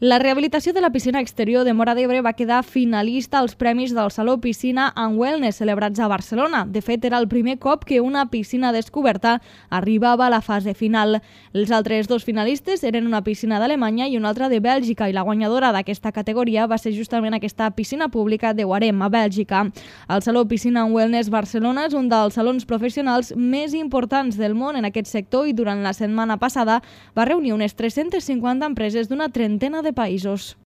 La rehabilitació de la piscina exterior de Móra d'Ebre va quedar finalista als premis del Saló Piscina and Wellness celebrats a Barcelona. De fet, era el primer cop que una piscina descoberta arribava a la fase final. Els altres dos finalistes eren una piscina d'Alemanya i una altra de Bèlgica, i la guanyadora d'aquesta categoria va ser justament aquesta piscina pública de Warem, a Bèlgica. El Saló Piscina and Wellness Barcelona és un dels salons professionals més importants del món en aquest sector i durant la setmana passada va reunir unes 350 empreses d'una trentena de països.